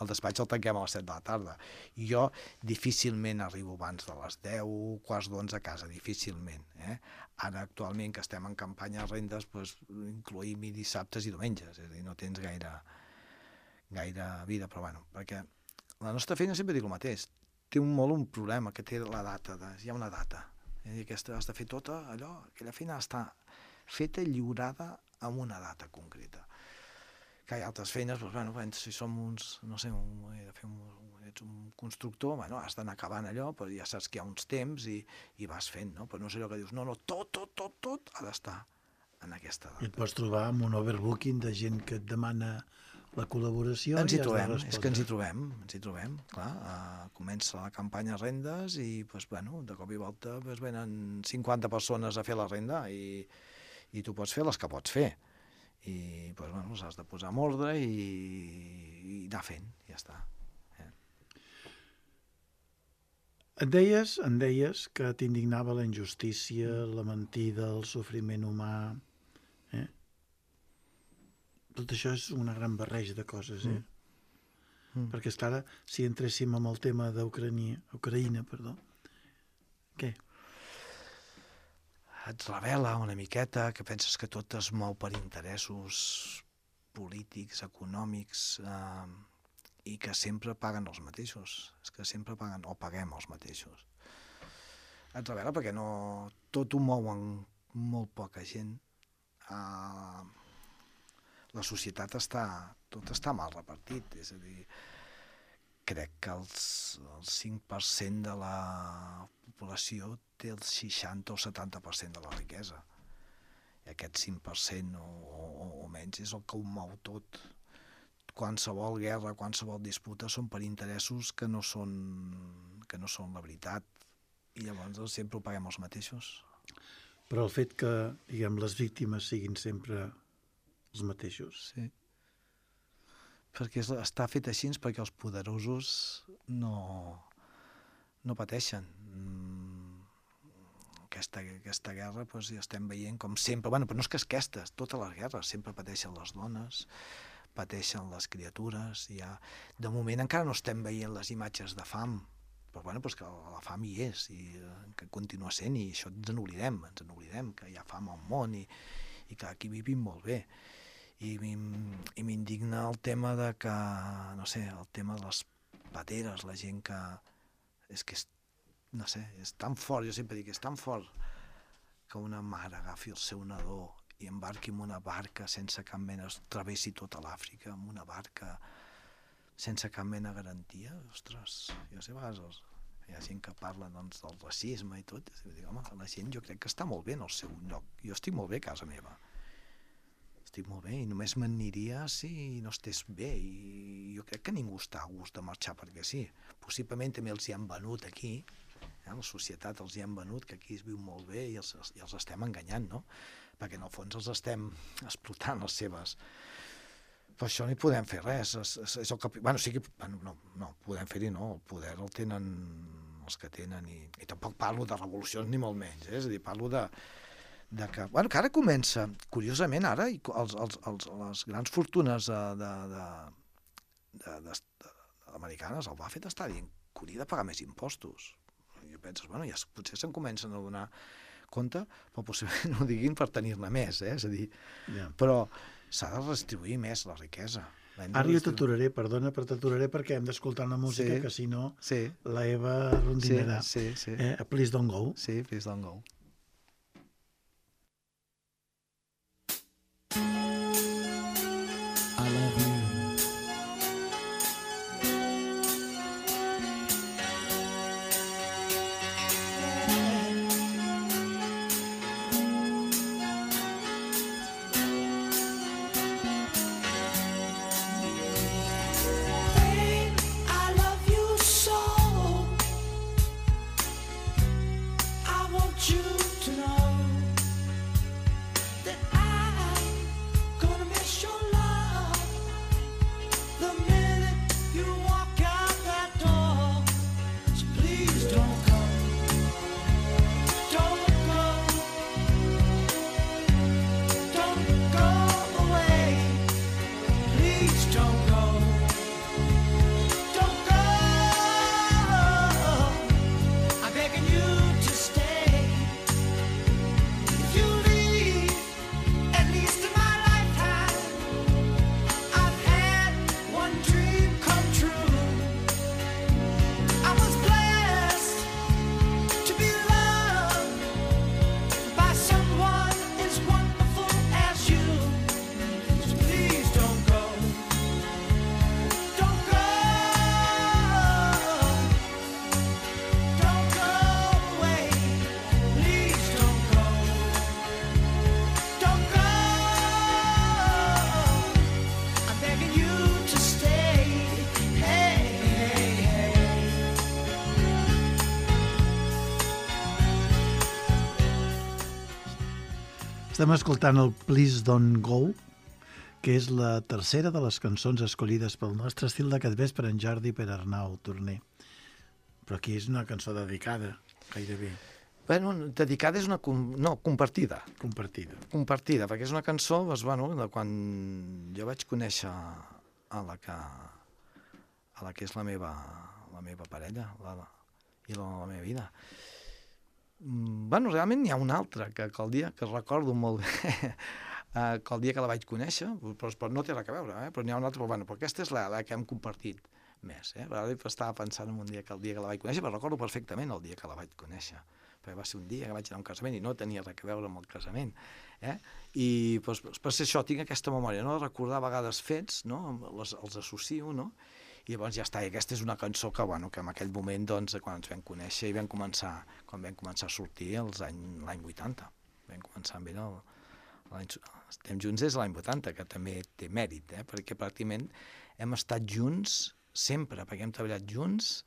el despatx el tanquem a les 7 de la tarda. I jo difícilment arribo abans de les 10, quarts d'11 a casa, difícilment. Ara, actualment, que estem en campanya de rendes, doncs, incloïm-hi dissabtes i diumenges. És a dir, no tens gaire vida, però bueno, perquè la nostra feina sempre dic el mateix. Té un problema, que té la data. Hi ha una data. És a dir, has de fer tota allò, aquella feina està feta, lliurada amb una data concreta. Que hi ha altres feines, doncs, bueno, si som uns, no sé, ets un constructor, bueno, has d'anar acabant allò, però ja saps que hi ha uns temps i vas fent, no? Però no és allò que dius, no, tot ha d'estar en aquesta data. I et pots trobar amb un overbooking de gent que et demana la col·laboració. Ens hi trobem, és que ens hi trobem, clar. Comença la campanya rendes i, doncs, bueno, de cop i volta venen 50 persones a fer la renda i tu pots fer les que pots fer. I, doncs, bueno, les has de posar en ordre i anar fent, ja està. Em deies que t'indignava la injustícia, la mentida, el sofriment humà. Tot això és una gran barreja de coses, Perquè, esclar, si entréssim amb el tema d'Ucraïna, què? Et revela una miqueta que penses que tot es mou per interessos polítics, econòmics, i que sempre paguen els mateixos. És que sempre paguen o paguem els mateixos. Et revela perquè tot ho mouen molt poca gent. La societat tot està mal repartit, és a dir, crec que el 5% de la població té el 60 o 70% de la riquesa. I aquest 5% o menys és el que ho mou tot. Qualsevol guerra, qualsevol disputa són per interessos que no són la veritat. I llavors sempre ho paguem els mateixos. Però el fet que, diguem, les víctimes siguin sempre els mateixos. Sí. Perquè està fet així perquè els poderosos no pateixen. Aquesta guerra, doncs, ja estem veient com sempre, bueno, però no és que aquestes, totes les guerres sempre pateixen les dones, pateixen les criatures. De moment encara no estem veient les imatges de fam, però bueno, pues que la fam hi és i que continua sent, i això ens n'oblidem que hi ha fam al món i que aquí vivim molt bé. I m'indigna el tema de que, no sé, el tema de les pateres, la gent que... És que, no sé, és tan fort, jo sempre dic, és tan fort que una mare agafi el seu nadó i embarqui en una barca sense cap mena, travessi tota l'Àfrica amb una barca sense cap mena de garantia. Ostres, jo sé, a vegades hi ha gent que parla doncs, del racisme i tot, i dic, home, la gent jo crec que està molt bé en el seu lloc. Jo estic molt bé a casa meva. Estic molt bé i només m'aniria si no estés bé, i jo crec que ningú està a gust de marxar perquè sí. Possiblement també els hi han venut aquí, la societat els hi han venut que aquí es viu molt bé i els estem enganyant, no? Perquè en el fons els estem explotant les seves... Per això no hi podem fer res. És el que... Bueno, sí que... No, podem fer-hi no, el poder el tenen els que tenen, i tampoc parlo de revolucions ni molt menys, és a dir, parlo de que... Bueno, que ara comença, curiosament, ara, les grans fortunes americanes, el Buffett està dient que hauria de pagar més impostos. I penses, bueno, ja potser se'n comencen a donar compte, però possiblement no ho diguin per tenir-ne més, és a dir, però s'ha de redistribuir més la riquesa. Ara jo t'aturaré, perdona, però t'aturaré perquè hem d'escoltar una música que si no la Eva rondinarà. Please Don't Go. Sí, Please Don't Go. I love you. Estem escoltant el Please Don't Go, que és la tercera de les cançons escollides pel nostre estil d'aquest vespre, en Jordi per Arnau Torner. Però aquí és una cançó dedicada, gairebé. Bueno, dedicada és una... No, compartida. Compartida, perquè és una cançó, doncs, bueno, de quan jo vaig conèixer a la que és la meva parella i la meva vida. Bueno, realment n'hi ha una altra, que el dia que recordo molt bé, que el dia que la vaig conèixer, però no té res a veure, però n'hi ha una altra, però aquesta és la que hem compartit més. Ara estava pensant en un dia que la vaig conèixer, però recordo perfectament el dia que la vaig conèixer, perquè va ser un dia que vaig anar a un casament i no tenia res a veure amb el casament. I per ser això tinc aquesta memòria, no? De recordar a vegades fets, no? Els associo, no? I llavors ja està, i aquesta és una cançó que en aquell moment, doncs, quan ens vam conèixer i quan vam començar a sortir l'any 80. Vam començar amb ell estem junts des de l'any 80, que també té mèrit, perquè pràcticament hem estat junts sempre, perquè hem treballat junts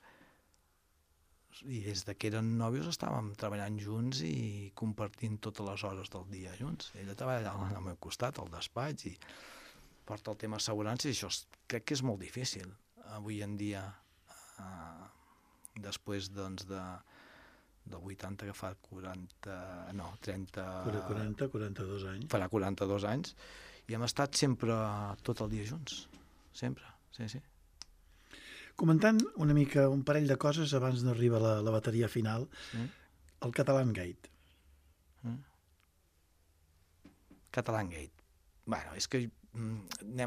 i des que eren nòvios estàvem treballant junts i compartint totes les hores del dia junts. Ella treballa al meu costat, al despatx, i porta el tema assegurances, i això crec que és molt difícil avui en dia, després doncs del 80, que fa 42 anys. Farà 42 anys. Farà 42 anys, I hem estat sempre tot el dia junts, sempre, sí, sí. Comentant una mica un parell de coses abans d'arribar a la bateria final, el Catalan Gate. Catalan Gate. Bueno, és que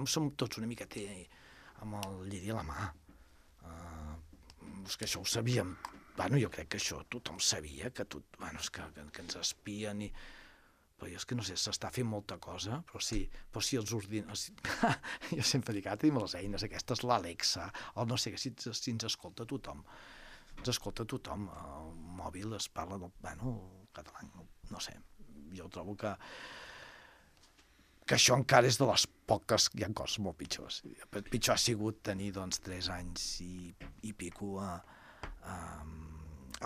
som tots una mica amb el lliri a la mà. És que això ho sabíem. Bueno, jo crec que això tothom sabia, que ens espien i... Però jo és que no sé, s'està fent molta cosa, però si els ordinadors... Jo sempre dic, ara tenim les eines aquestes, l'Alexa, o no sé, si ens escolta tothom. Ens escolta tothom. El mòbil es parla del... Bueno, català, no sé. Jo trobo que això encara és de les poques... Hi ha coses molt pitjors. Pitjor ha sigut tenir, doncs, 3 anys i pico a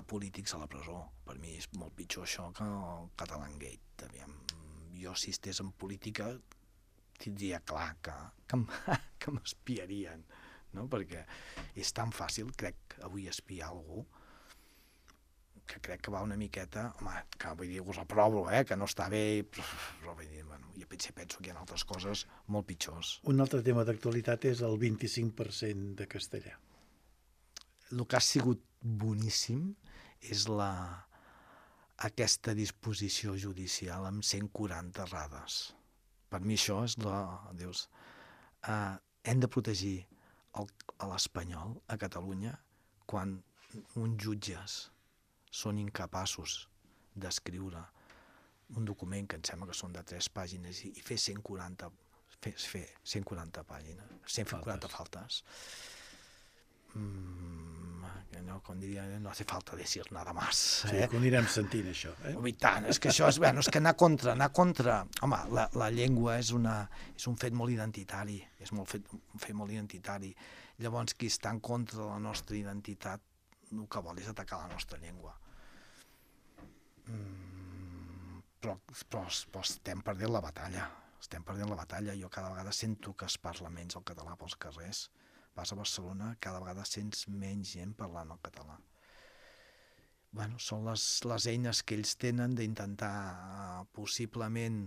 polítics a la presó. Per mi és molt pitjor això que el Catalan Gate. Aviam, jo, si estés en política, tindria clar que m'espiarien, no? Perquè és tan fàcil, crec, avui espiar algú, que crec que va una miqueta... Home, que vull dir, ho reprovo, que no està bé, però vull dir, bueno, jo penso que hi ha altres coses molt pitjors. Un altre tema d'actualitat és el 25% de castellà. El que ha sigut boníssim és aquesta disposició judicial amb 140 errades. Per mi això és Dius, hem de protegir l'espanyol a Catalunya quan uns jutges són incapaços d'escriure un document que em sembla que són de 3 pàgines i fer 140 pàgines, 140 faltes. Com diria, no hace falta decir nada más. Sí, que ho anirem sentint, això. I tant, és que això és que anar contra... Home, la llengua és un fet molt identitari, és un fet molt identitari. Llavors, qui està en contra de la nostra identitat, el que vol és atacar la nostra llengua. Però estem perdent la batalla. Jo cada vegada sento que es parla menys el català pels carrers. Vas a Barcelona, cada vegada sents menys gent parlant el català. Bueno, són les eines que ells tenen d'intentar possiblement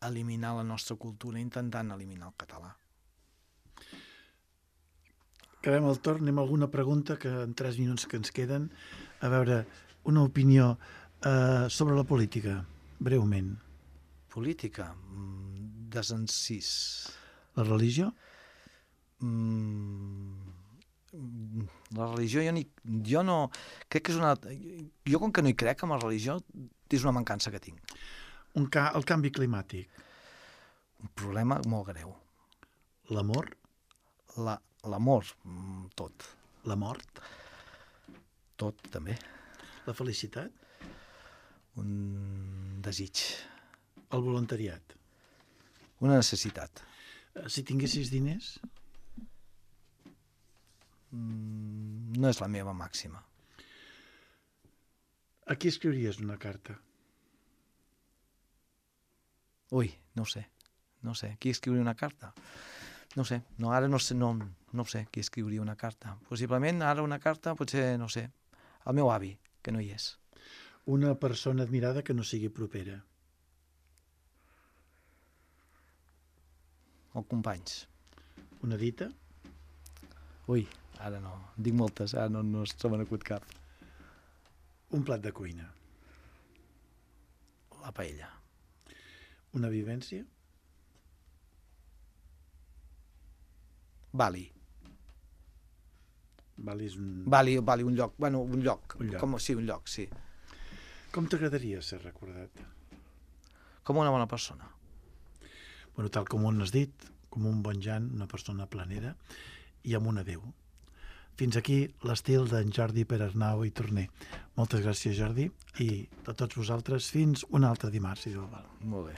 eliminar la nostra cultura intentant eliminar el català. Acabem el torn, anem a alguna pregunta que en 3 minuts que ens queden. A veure, una opinió sobre la política, breument. Política? Desencís. La religió? La religió jo no... Crec que és una... Jo com que no hi crec en la religió és una mancança que tinc. El canvi climàtic. Un problema molt greu. L'amor? L'amor, tot. La mort? Tot, també. La felicitat? Un desig. El voluntariat? Una necessitat. Si tinguessis diners? No és la meva màxima. A qui escriuries una carta? Ui, no ho sé. Qui escriuria una carta? No sé, ara no sé qui escriuria una carta. Possiblement ara una carta, potser, no sé, el meu avi, que no hi és. Una persona admirada que no sigui propera. O companys. Una dita? Ui, ara no. Dic moltes, ara no se m'ha acut cap. Un plat de cuina. La paella. Una vivència? Bali. Bali és un... Bali, un lloc. Bueno, un lloc. Un lloc. Un lloc, sí. Com t'agradaria ser recordat? Com una bona persona. Bueno, tal com ho has dit, com un bon Jan, una persona planera i amb un adéu. Fins aquí l'estil d'en Jordi Perarnau i Torner. Moltes gràcies, Jordi, i a tots vosaltres fins un altre dimarts, si Déu vol. Molt bé.